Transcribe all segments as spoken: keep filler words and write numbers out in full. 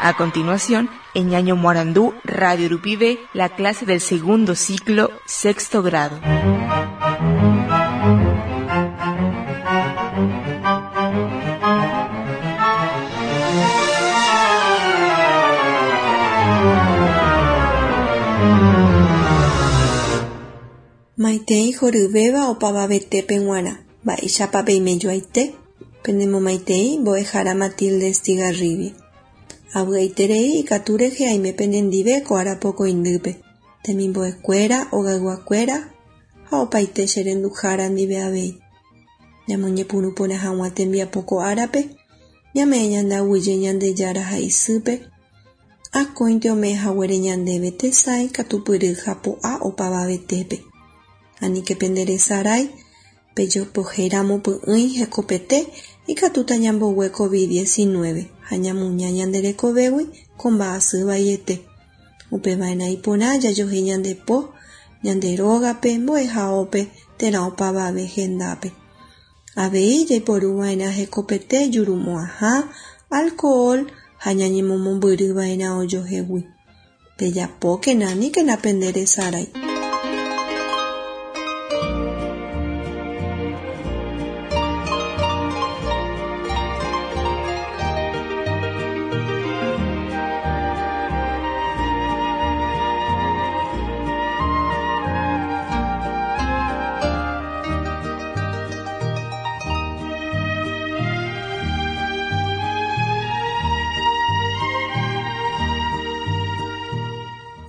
A continuación, en Ñaño Morandú, Radio Rupibe, la clase del segundo ciclo, sexto grado. Maitei horyvéva opavavetépe g̃uarã. Mba'éichapa peimejoaite. Penemomaitei mbo'ehára Matilde Estigarribia. Avy'aiterei ikatu rehe aime penendive ko arapokõindýpe. Temimbo'ekuéra, ogayguakuéra ha opaite che renduhára ndive avei. Ñamoñepyrũ porã hag̃ua tembiapo ko árape, ñame'ẽ ñandeaguyje Ñandejára ha isýpe, akóinte ome'ẽhaguére ñandéve tesãi katupyry ha po'a opavavetépe. Aníke penderesarái, pejopohéramo py'ỹi hekopete ikatúta ñambogue COVID diecinueve ha ñamuña ñande rekovégui ko mba'asy vaiete. Upeva'erã iporã jajohéi ñande po, ñande rógape, mbo'ehaópe térã opavave hendápe. Avei jaiporuva'erã hekopete jurumo'ãha, alcohol ha ñañemomombyryva'erã ojohegui. Pejapókena aníkena penderesarái.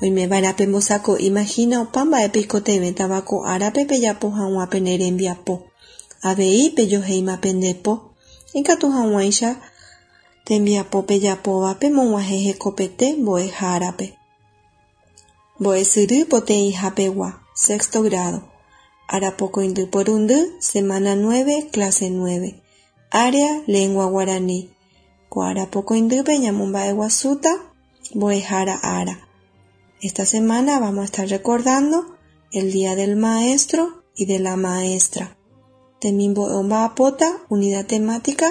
Oimeva'erã pembosako'i imagina opa mba'épe ikotevẽtava ko árape pejapo hag̃ua pene rembiapo. Avei pejohéima pende po. Ikatu hag̃uáicha tembiapo pejapóva pemog̃uahẽ hekopete mbo'ehárape. Mbo'esyry poteĩhapegua, sexto grado. Arapokõindy porundy, semana nueve, clase nueve. Área, lengua guaraní. Ko arapokõindýpe ñamomba'eguasúta mbo'ehára ára. Esta semana vamos a estar recordando el Día del Maestro y de la Maestra. Temimbo'e omba'apóta, unidad temática,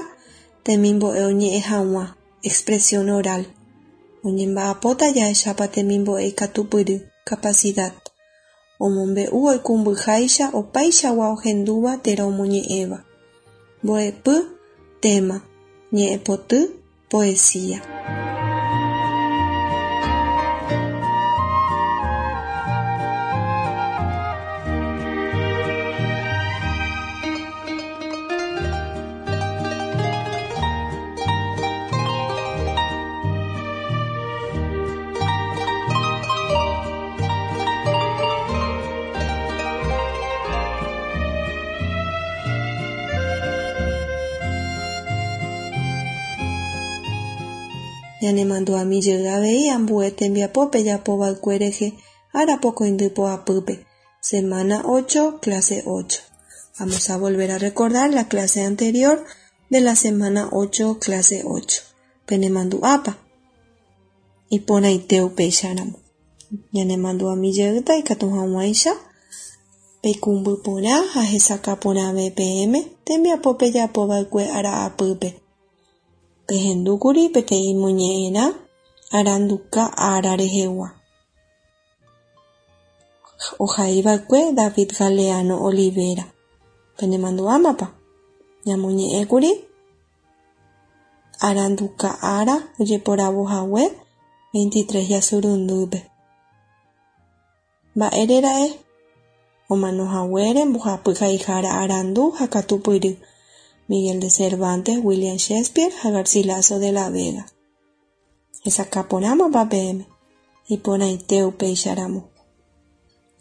temimbo'e oñe'ẽ hag̃ua, expresión oral. Oñemba'apóta jahechápa temimbo'e ikatupyry, capacidad. Omombe'u oikũmbyháicha opaichagua ohendúva térã omoñe'ẽva. Mbo'epy, tema, ñe'ẽpoty, poesía. Ñanemandu'ami jey avei ambue tembiapo pejapova'ekue rehe arapokõindy poapýpe, semana ocho, clase ocho. Vamos a volver a recordar la clase anterior de la semana ocho, clase ocho. Penemandu'ápa. Iporãite upéicharamo. Ñanemandu'ami jeýta ikatu hag̃uáicha peikũmby porã ha hesakã porãve peẽme tembiapo pejapova'ekue ara'apýpe. Pehendúkuri peteĩ moñe'ẽrã aranduka ára rehegua. Ohaiva'ekue David Galeano Olivera. Penemandu'ámapa. Ñamoñe'ẽkuri aranduka ára ojeporavohague veintitrés jasurundýpe. Mba'érera'e omanohaguére mbohapy haihára arandu ha katupyry. Miguel de Cervantes, William Shakespeare ha Garcilaso de la Vega. Hesakã porãmapa peẽme. Iporãite upéicharamo.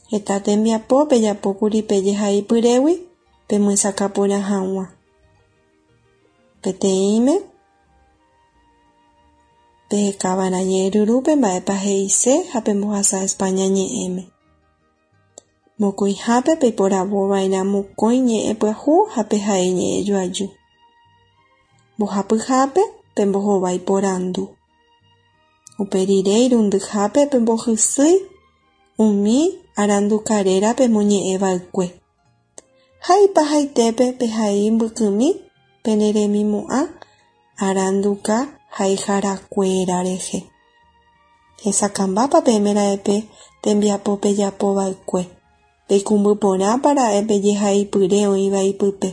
Heta tembiapo pejapókuri pejehaipyrégui pemyesakã porã hag̃ua. Peteĩme pehekava'erã ñe'ẽryrúpe mba'épa he'ise ha pembohasa España ñe'ẽme. Mokõihápe peiporavova'erã mokõi ñe'ẽ pyahu ha pehai ñe'ẽ joaju. Mbohapyhápe pembohovái porandu. Upe rire irundyhápe pembohysýi umi arandukaréra pemoñe'ẽva'ekue. Ha ipahaitépe pehai mbykymi peneremimo'ã aranduka haiharakuéra rehe. Hesakãmbápa peẽme ra'e tembiapo pejapova'ekue. Peikũmbyporãpa ra'e pejehaipyre oĩva ipype.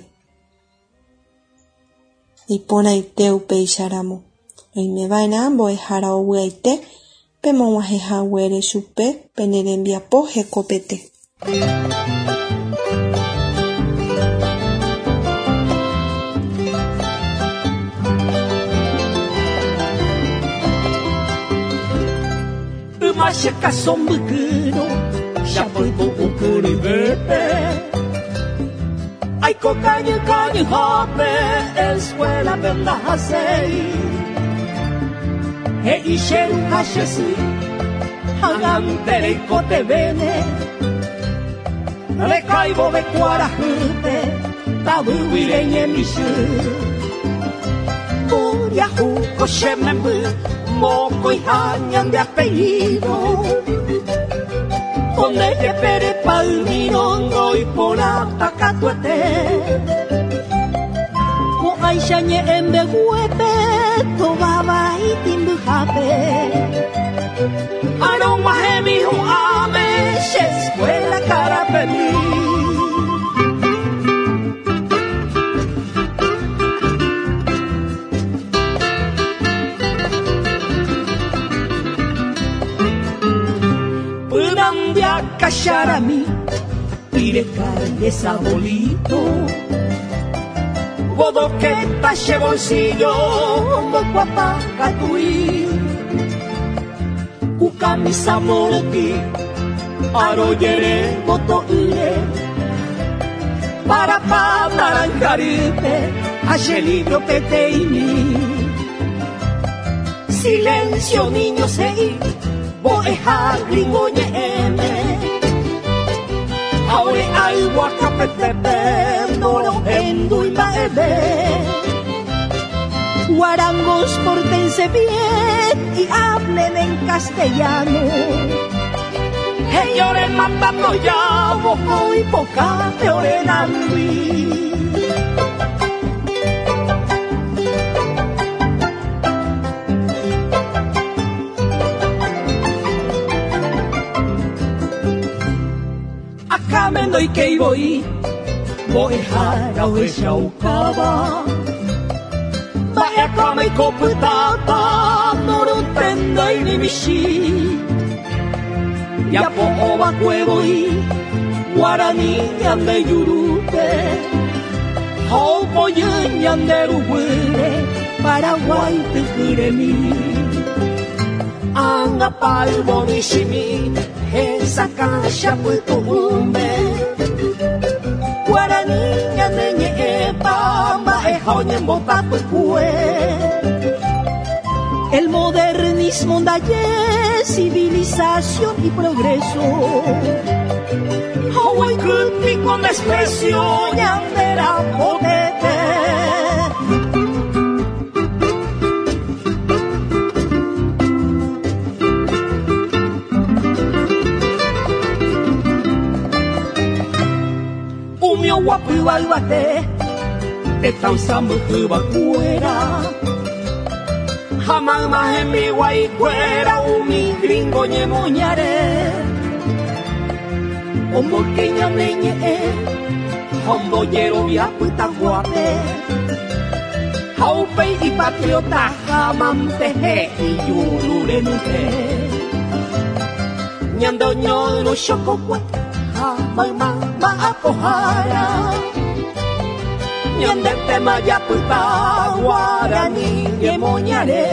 Iporãite upéicharamo. Oimeva'erã mbo'ehára ovy'aite pemog̃uahẽhaguére chupe pene rembiapo hekopete. Yma che káso mbykýrõ chapytu'u kyryvépe aiko kañy kañyhápe escuela-pe ndahaséi he'i che ru ha che sy ag̃ante reikotevẽne rekaivove kuarahýpe tavýgui reñemichy Mboriahu ko che memby mokõiha ñande apellido Onde jepere palmirongo y porata katuete Ko'áicha ñe'ẽmbeguépe tovavai timbyhápe Arõg̃uahẽmi hu'ãme che escuela karapemi. Cacharami, pire calle sabolito, bodoqueta che bolsillo, mocuapa catui, cucamisa moroti, aroyere botoire, para pa naranjaripe, hache libro peteimi. Silencio niño sei, boeja gringo ñe'ẽme. Aore aigua kapetepe, noro hendu imba'eve. Guarangos, pórtense bien y hablen en castellano. Señores, matando ya, bojo y poca peorenandui. Amendo y que voy, mbo'ehára ohechaukáva mba'eakãme ikopytáta norotendéi ni michĩ japo'ovakuevoi guarani ñande jurúpe ha opojy ñande ruguýre Paraguay tykyremi ág̃apa yvomichĩmi hesakã chapytu'ũme Guarani ñane ñe'ẽpa mba'eha oñembotapykue. El modernismo ndaje civilización y progreso. Haguaikýti con desprecio ñandera potete. Umi oguapýva yvate tetã oisãmbyhývakuéra ha mayma hembiguaikuéra umi gringo ñemoñare omboyke ñane ñe'ẽ ha ombojerovia pytaguápe ha upéi ipatriota hamante he'i jururenyhẽ ñande oñoyrõ chokokue ha mayma mba'apohára ñande tema japyta guarani ñemoñare.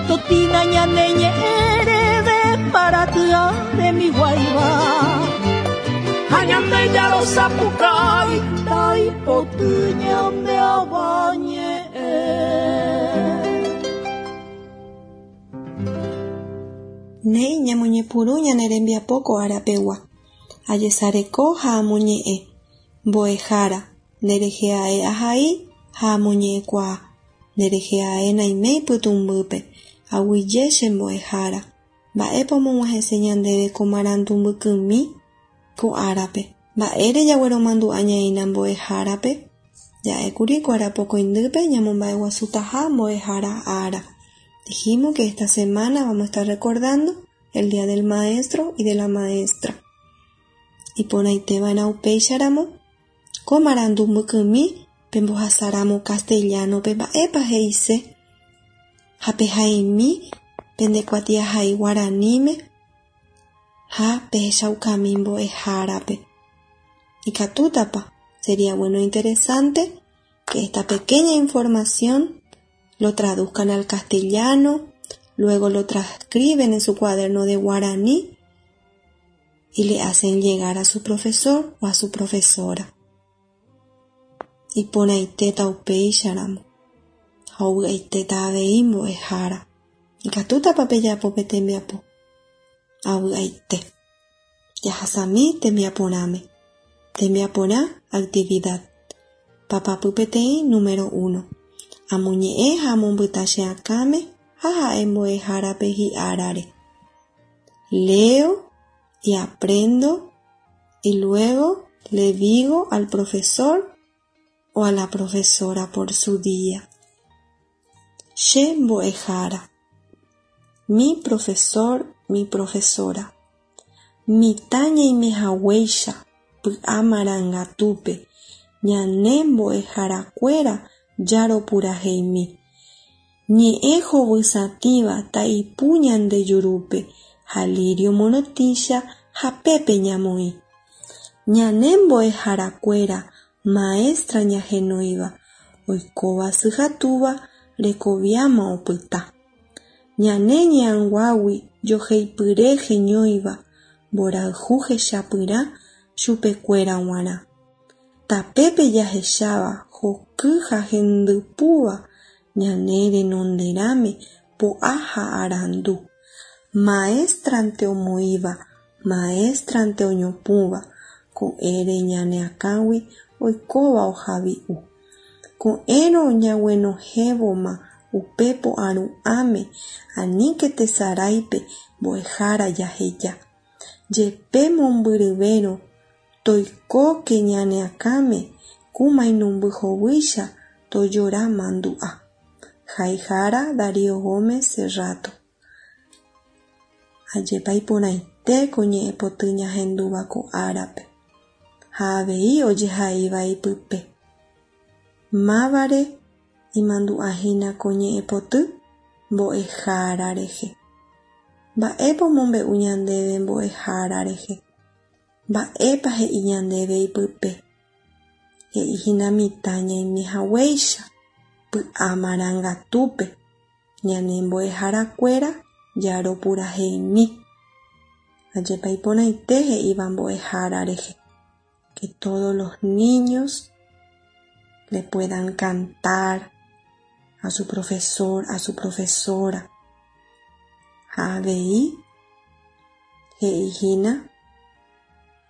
Totina ñane ñe'ẽreve paraty'a rembiguáiva ha ñande jarosapukái taipoty ñande avañe'ẽ. Néi ñamoñepyrũ ñane rembiapo ko arapegua. Ajesareko ha amoñe'ẽ. Mbo'ehára, nderehe ae ahai ha amoñe'ẽkuaa. Nderehe ae naiméi pytũmbýpe. Aguyje che mbo'ehára. Mba'épa omog̃uahẽse ñandéve ko marandu mbykymi ko árape. Mba'ére jagueromandu'a ñaína mbo'ehárape. Ja'ékuri ko arapokõindýpe ñamomba'eguasutaha mbo'ehára ára. Dijimos que esta semana vamos a estar recordando el Día del Maestro y de la Maestra. Iporãiteva'erã upéicharamo ko marandu mbykymi pembohasáramo castellano-pe mba'épa he'ise ha pehaimi pendekuatiahai guaraníme ha pehechaukami mbo'ehárape. Ikatútapa. Sería bueno e interesante que esta pequeña información lo traduzcan al castellano, luego lo transcriben en su cuaderno de guaraní y le hacen llegar a su profesor o a su profesora. Iporãitéta upéicharamo ha ovy'aitéta avei mbo'ehára. Ikatútapa pejapo pe tembiapo. Avy'aite. Jahasami tembiaporãme. Tembiaporã actividad. Papapy peteĩ número uno. Amoñe'ẽ ha amombyta che akãme ha ha'e mbo'ehárape hi'árare. Leo y aprendo y luego le digo al profesor o a la profesora por su día. Che mbo'ehára. Mi profesor, mi profesora. Mitã ñaimehaguéicha py'a marangatúpe ñane mbo'eharakuéra jaropuraheimi. Ñe'ẽ hovysatĩva ta'ipu ñande jurúpe ha lirio morotĩcha hapépe ñamoĩ. Ñane mbo'eharakuéra maestra ñahenóiva oikóva sy ha túva rekoviáma opyta. Ñane ñe'ãnguágui joheipyre heñóiva mborayhu hechapyrã chupekuéra g̃uarã. Tapépe jahecháva hoky ha hendypúva ñane renonderãme po'a ha arandu. Maestrante omoĩva, maestrante oñopũva, ko'ẽre ñane akãgui oikóva ohavi'u. Ko'ẽrõ ñaguenohẽvoma upe po'aru'ãme aníke tesaráipe mbo'ehára jaheja. Jepe mombyryvérõ toikóke ñane akãme ku mainumby hovýicha tojora mandu'a. Haihára Darío Gómez Serrato. Ajépa iporãite ko ñe'ẽpoty ñahendúva ko árape ha avei ojehaíva ipype. Mávare imandu'ahína ko ñe'ẽpoty mbo'ehára rehe. Mba'épa omombe'u ñandéve mbo'ehára rehe. Mba'épa he'i ñandéve ipype. He'íhina mitã ñaimehaguéicha py'a marangatúpe ñane mbo'eharakuéra jaropuraheimi. Ajépa iporãite he'íva mbo'ehára rehe. Que todos los niños le puedan cantar a su profesor, a su profesora. Ha avei he'íhina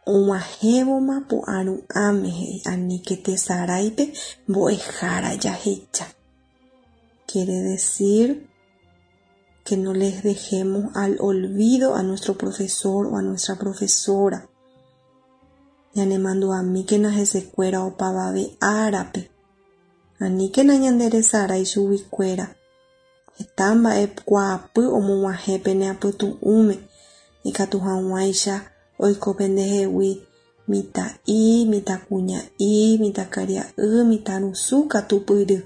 og̃uahẽvoma po'aru'ãme he'i aníke tesaráipe mbo'ehára jahecha. Quiere decir que no les dejemos al olvido a nuestro profesor o a nuestra profesora. Ñanemandu'amíkena hesekuéra opavave árape. Aníkena ñanderesarái chuguikuéra. Heta mba'ekuaapy omog̃uahẽ pene apytu'ũme ikatu hag̃uáicha oiko pendehegui mitã'i, mitãkuña'i, mitãkaria'y, mitãrusu katupyry.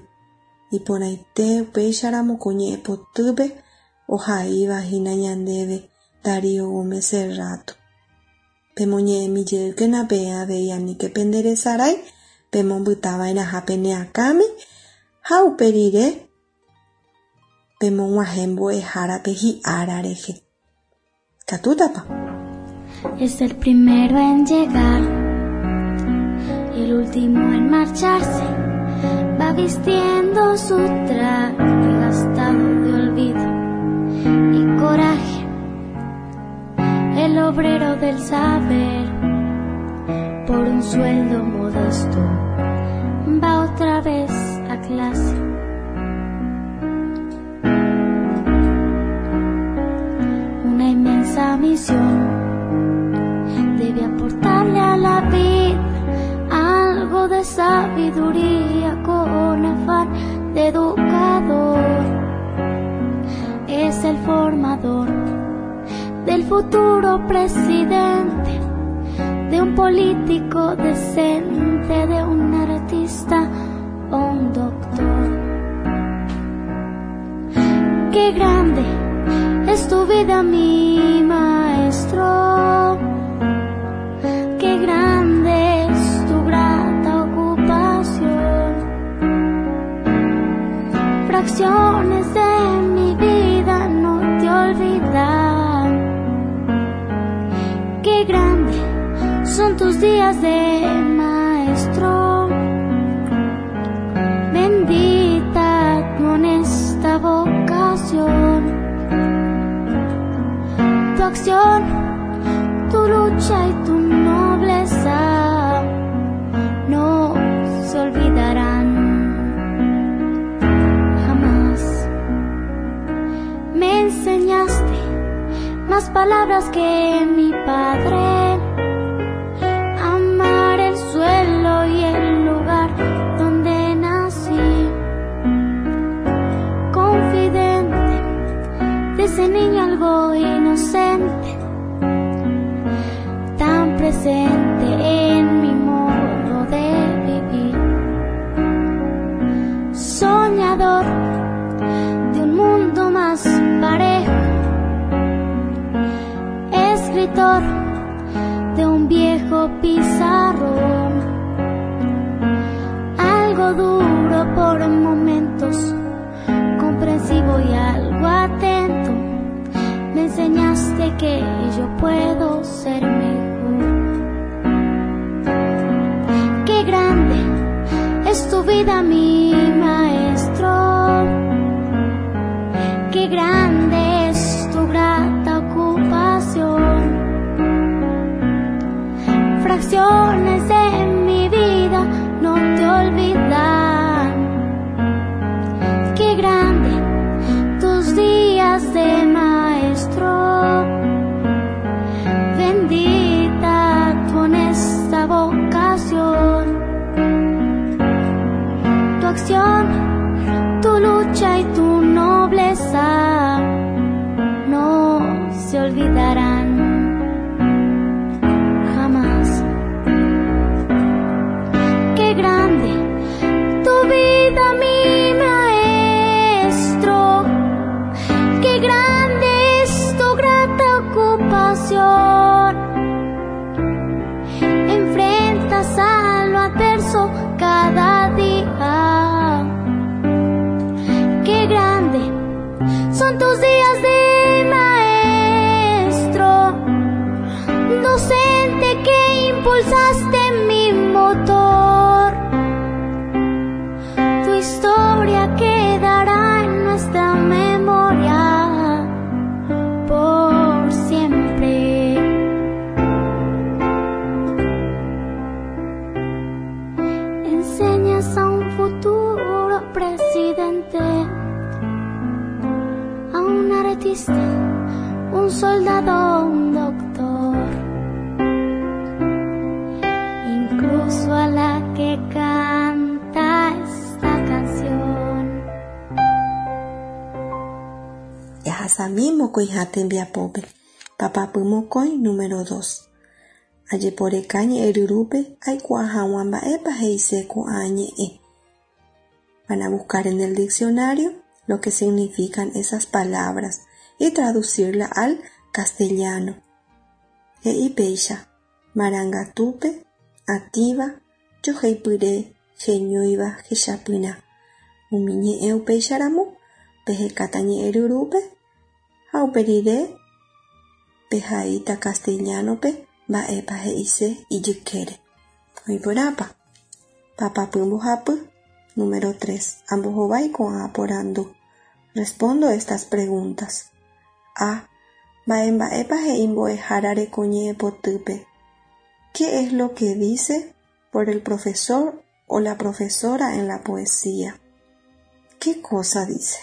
Iporãite upéicharamo ko ñe'ẽpotýpe ohaivahína ñandéve Darío Gómez Serrato. Pemoñe'ẽmijeýkena peẽ avei aníke penderesarái pemombytava'erãha pene akãme ha upe rire pemog̃uahẽ mbo'ehárape hi'ára rehe. Ikatútapa. Es el primero en llegar y el último en marcharse. Va vistiendo su traje gastado de olvido y coraje. El obrero del saber, por un sueldo modesto, va otra vez a clase. Una inmensa misión debe aportarle a la vida algo de sabiduría. transformador, del futuro presidente, de un político decente, de un artista o un doctor. Qué grande es tu vida, mi maestro. Qué grande es tu grata ocupación. Fracciones de mi vida no te olvidan. Qué grande son tus días de maestro. Bendita tu honesta vocación, tu acción, tu lucha y tu nobleza no se olvidarán jamás. Me enseñaste más palabras que mi padre, amar el suelo y el lugar donde nací. Confidente de ese niño algo inocente, tan presente en mi modo de vivir. Soñador de un mundo más parejo, escritor de un viejo pizarrón, algo duro por momentos, comprensivo y algo atento, me enseñaste que yo puedo ser mejor. Qué grande es tu vida, mi maestro. Qué grande es tu grata ocupación. Fracciones de mi vida no te olvidan. Qué grande tus días de maestro. Bendita tu honesta vocación, tu acción, tu lucha y tu nobleza no se olvidarán jamás. Qué grande tu vida, mi maestro. Qué grande es tu grata ocupación. Enfrentas a lo adverso cada día. Qué grande son tus días de maestro, docente que impulsaste mi motor. Tu historia quedará en nuestra memoria por siempre. Enseñas a un futuro presidente, a un artista, un soldado, un doctor, incluso a la que canta esta canción. Yahasami mokõiha tembiapópe, papapy mokõi número dos. Ajeporeka ñe'ẽryrúpe aikuaa hag̃ua mba'épa he'ise ko'ã ñe'ẽ. Van a buscar en el diccionario lo que significan esas palabras y traducirla al castellano. He'i péicha, marangatúpe, atĩva, joheipyre, heñóiva, hechapyrã. Umi ñe'ẽ upéicharamo, pehekáta ñe'ẽryrúpe ha uperire pehaíta castellano-pe mba'épa he'ise ijykére. Oiporãpa. Papapy mbohapy, número tres. Ambohovái ko'ã porandu. Respondo estas preguntas. A. Mba'e mba'épa he'i mbo'ehárare ko ñe'ẽpotýpe. ¿Qué es lo que dice por el profesor o la profesora en la poesía? ¿Qué cosa dice?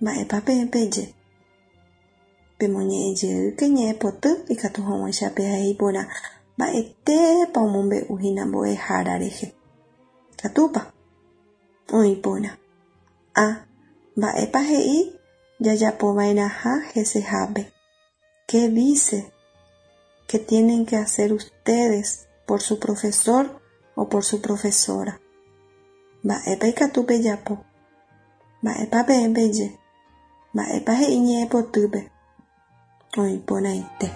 Mba'épa peẽ peje. Pemoñe'ẽjeýke ñe'ẽpoty ikatu hag̃uáicha pehai porã mba'etépa omombe'uhína mbo'ehára rehe. Katúpa. Oĩ porã. A. Mba'épa he'i jajapova'erãha hesehápe. ¿Qué dice que tienen que hacer ustedes por su profesor o por su profesora? Mba'épa ikatu pejapo. Mba'épa peẽ peje. Mba'épa he'i ñe'ẽpotýpe. Oĩporãite.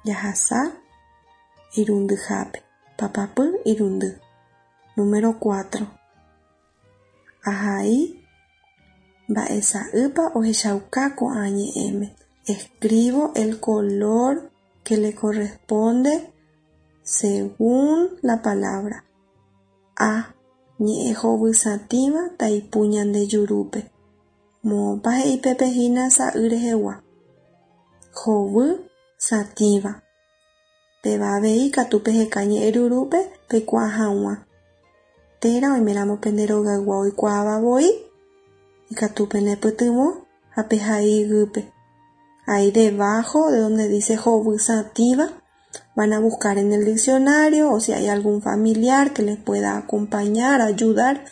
Jahasa irundyhápe. Papapy irundy. Número cuatro. Ahai mba'esa'ýpa ohechauka ko'ã ñe'ẽme. Escribo el color que le corresponde según la palabra. A. Ñe'ẽ hovysatĩva taipu ñande jurúpe. Moõpa he'i pépe hína sa'y rehegua. Hovy satĩva. Péva avei katu peheka ñe'ẽ rurúpe peikuaa hag̃ua. Térã oiméramo pende rogaygua oikuaavavoi ikatu penepytyvõ ha pehai iguýpe. Ahí debajo de donde dice hovysatĩva van a buscar en el diccionario o si hay algún familiar que les pueda acompañar, ayudar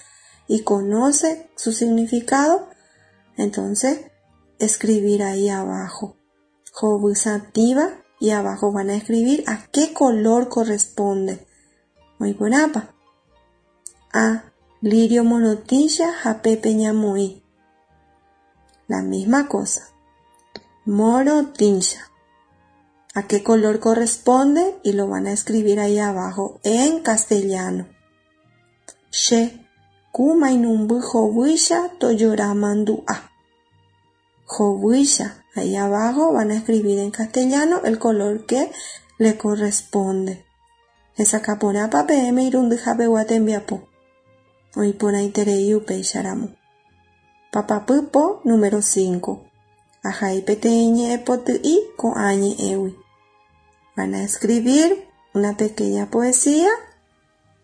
y conoce su significado, entonces escribir ahí abajo. Hovysatĩva y abajo van a escribir a qué color corresponde. Oĩporãpa. A. Lirio morotĩcha ha pépe ñamoĩ. La misma cosa. Morotĩcha. ¿A qué color corresponde? Y lo van a escribir ahí abajo en castellano. Che, ku mainumby hovýicha tojora mandu'a. Hovýicha. Ahí abajo van a escribir en castellano el color que le corresponde. Hesakãporãpa peẽme irundyhapegua tembiapo. Oĩporãiterei upéicharamo. Papapy po número cinco. Ahai peteĩ ñe'ẽpoty'i ko'ã ñe'ẽgui. Van a escribir una pequeña poesía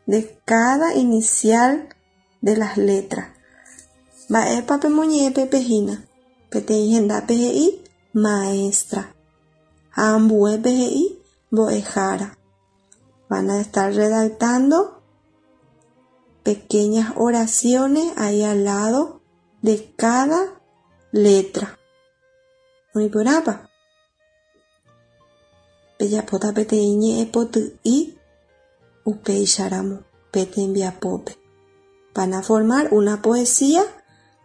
de cada inicial de las letras. Mba'épa pemoñe'ẽ pépe hína. Peteĩ hendápe he'i maestra. Ha ambuépe he'i mbo'ehára. Van a estar redactando pequeñas oraciones ahí al lado de cada letra. Oĩporãpa. Pejapóta peteĩ ñe'ẽpoty'i upéicharamo pe tembiapópe. Van a formar una poesía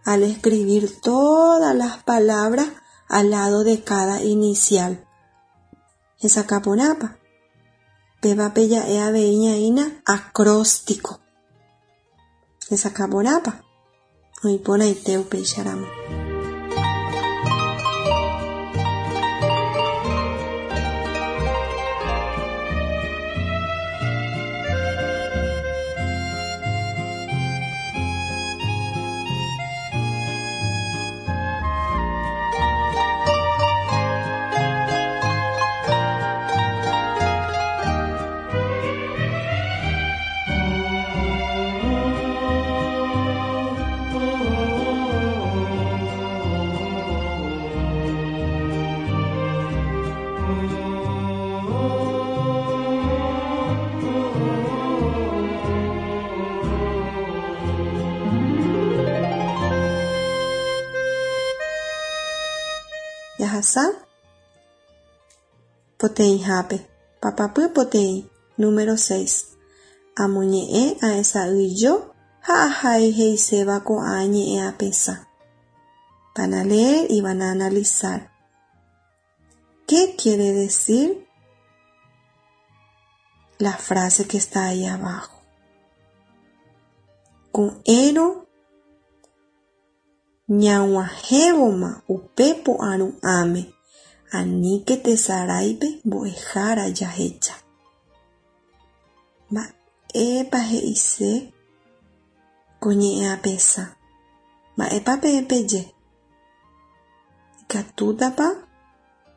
al escribir todas las palabras al lado de cada inicial. Hesakãporãpa. Péva peja'e avei ñaína acróstico. Hesakãporãpa. Oĩporãite upéicharamo. Jahasa poteĩhápe. Papapy poteĩ. Número seis. Amoñe'ẽ aesa'ỹijo ha ahai he'iséva ko'ã ñe'ẽ apesã. Van a leer y van a analizar. ¿Qué quiere decir la frase que está ahí abajo? Ko'ẽrõ ñag̃uahẽvoma upe po'aru'ãme aníke tesaráipe mbo'ehára jahecha. Mba'épa he'ise ko ñe'ẽ apesã. Mba'épa peẽ peje. Ikatútapa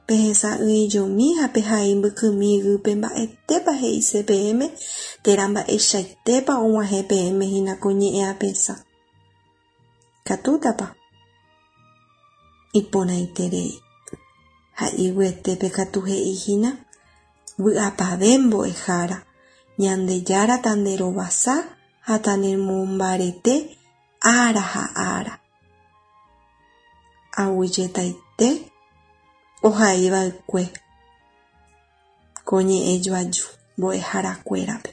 Pehesa'ỹijomi ha pehai mbykymi yvýpe mba'etépa he'ise peẽme térã mba'eichaitépa og̃uahẽ peẽme hína ko ñe'ẽapesã. Katútapa? Iporãiterei. Ha iguyetépe katu he'íhína vy'apavẽ mbo'ehára Ñandejára tanderovasa ha tanemombarete ára ha ára. Aguyjetaite ohaiva'ekue ko ñe'ẽjoaju mbo'eharakuérape.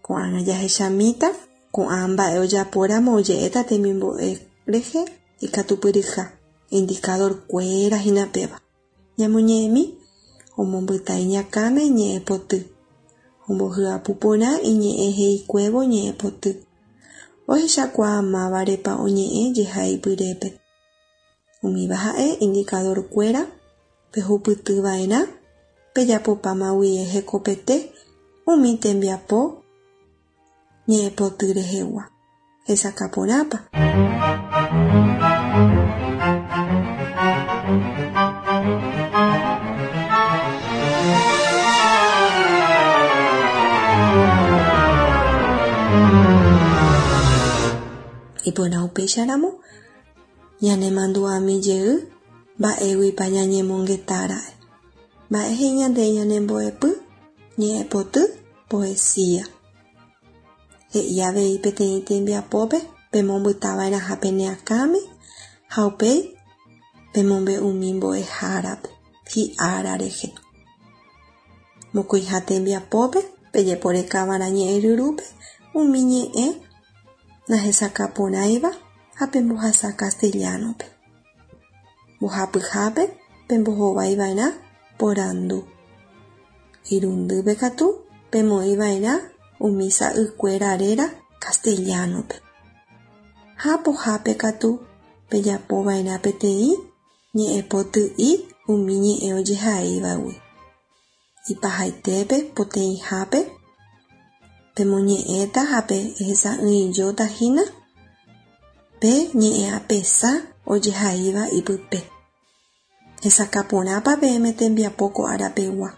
Ko'ág̃a jahechamíta ko'ã mba'e ojapóramo oje'éta temimbo'e rehe ikatupyryha indicadorkuéra hína péva. Ñamoñe'ẽmi omombyta iñakãme ñe'ẽpoty. Ombohyapu porã iñe'ẽ he'ikuévo ñe'ẽpoty. Ohechakuaa mávarepa oñe'ẽ jehaipyrépe. Umíva ha'e indicadorkuéra pehupytyva'erã pejapopáma guive hekopete umi tembiapo ñe'ẽpoty rehegua. Hesakãporãpa. Iporã upéicharamo ñanemandu'ami jey mba'éguipa ñañemongetára'e. Mba'e he'i ñande ñanembo'epy ñe'ẽpoty poesía. He'i avei peteĩ tembiapópe pemombytava'erãha pene akãme ha upéi pemombe'umi mbo'ehárape hi'ára rehe. Mokõiha tembiapópe pejeporekava'erã ñe'ẽryrúpe umi ñe'ẽ nahesakãporãiva ha pembohasa castellano-pe. Mbohapyhápe pembohovaiva'erã porandu. Irundýpe katu pemoĩva'erã umi sa'ykuéra réra castellano-pe. Ha pohápe katu pejapova'erã peteĩ ñe'ẽpoty'i umi ñe'ẽ ojehaívagui. Ipahaitépe poteĩhápe pemoñe'ẽta ha pehesa'ỹijótahína pe ñe'ẽapesã ojehaíva ipype. Hesakãporãpa peẽme tembiapo ko árapegua.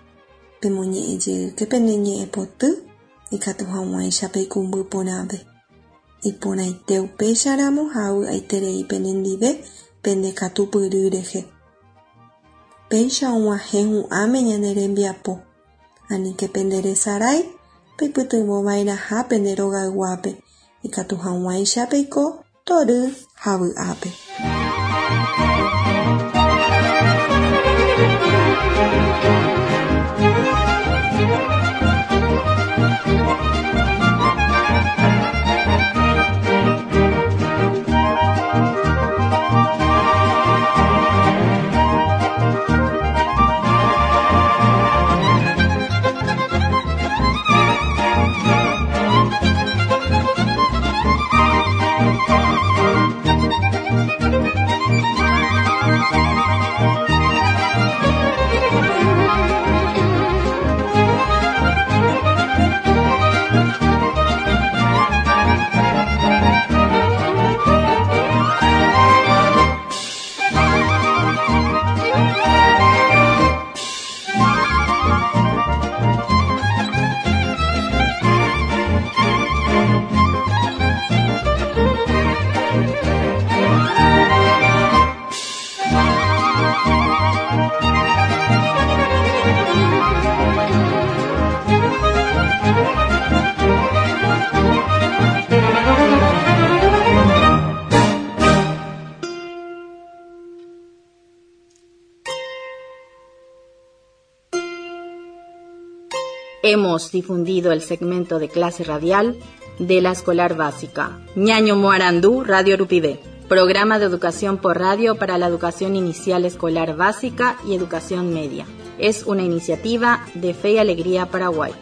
Pemoñe'ẽjeýke pene ñe'ẽpoty ikatu hag̃uáicha peikũmby porãve. Iporãite upéicharamo ha avy'aiterei penendive pendekatupyry rehe. Péicha og̃uahẽ hu'ãme ñane rembiapo. Aníke penderesarái peipytyvõva'erãha pende rogayguápe ikatu hag̃uáicha peiko tory ha vy'ápe. Hemos difundido el segmento de clase radial de la Escolar Básica. Ñaño Moarandú, Radio Rupivé. Programa de educación por radio para la educación inicial escolar básica y educación media. Es una iniciativa de Fe y Alegría Paraguay.